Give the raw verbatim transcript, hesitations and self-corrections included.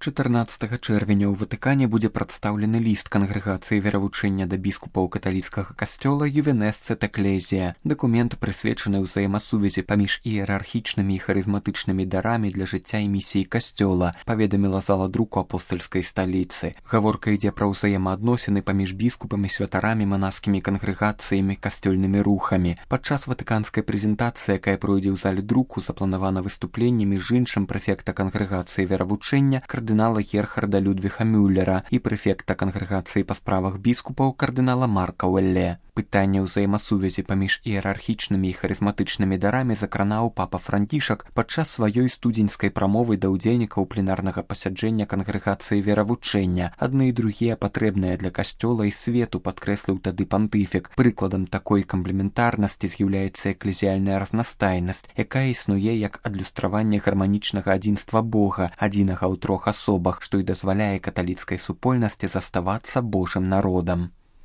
чатырнаццатага чэрвеня ў Ватыкане будзе прадстаўлены ліст кангрэгацыі веравучэння да біскупаў каталіцкага касцёла Ювенесцэт Экклезія. Дакумент прысвечаны ўзаемасувязі паміж іерархічнымі і харызматычнымі дарамі для жыцця і місіі касцёла, паведаміла зала друку апостальскай сталіцы. Гаворка ідзе пра ўзаемаадносіны паміж біскупамі, святарамі, манаскімі кангрэгацыямі, касцёльнымі рухамі. Падчас ватыканскай прэзентацыі, якая пройдзе ў зале друку, запланавана выступленне між іншым прэфекта кангрэгацыі веравучэння кардынала Герхарда Людвіга Мюллера і прэфекта кангрэгацыі па справах біскупаў кардынала Марка Уэлле. Пытанне ўзаемасувязі паміж іерархічнымі і харызматычнымі дарамі закранаў папа Францішак падчас сваёй студзеньскай прамовы да ўдзельнікаў пленарнага пасяджэння кангрэгацыі веравучэння. Адны і другія патрэбныя для касцёла і свету, падкрэсліў тады пантыфік. Прыкладам такой камплементарнасці з'яўляецца эклезіяльная разнастайнасць, якая існуе як адлюстраванне гарманічнага адзінства Бога, адзінага ў трох асобах, што і дазваляе каталіцкай супольнасці заставацца Божым народам.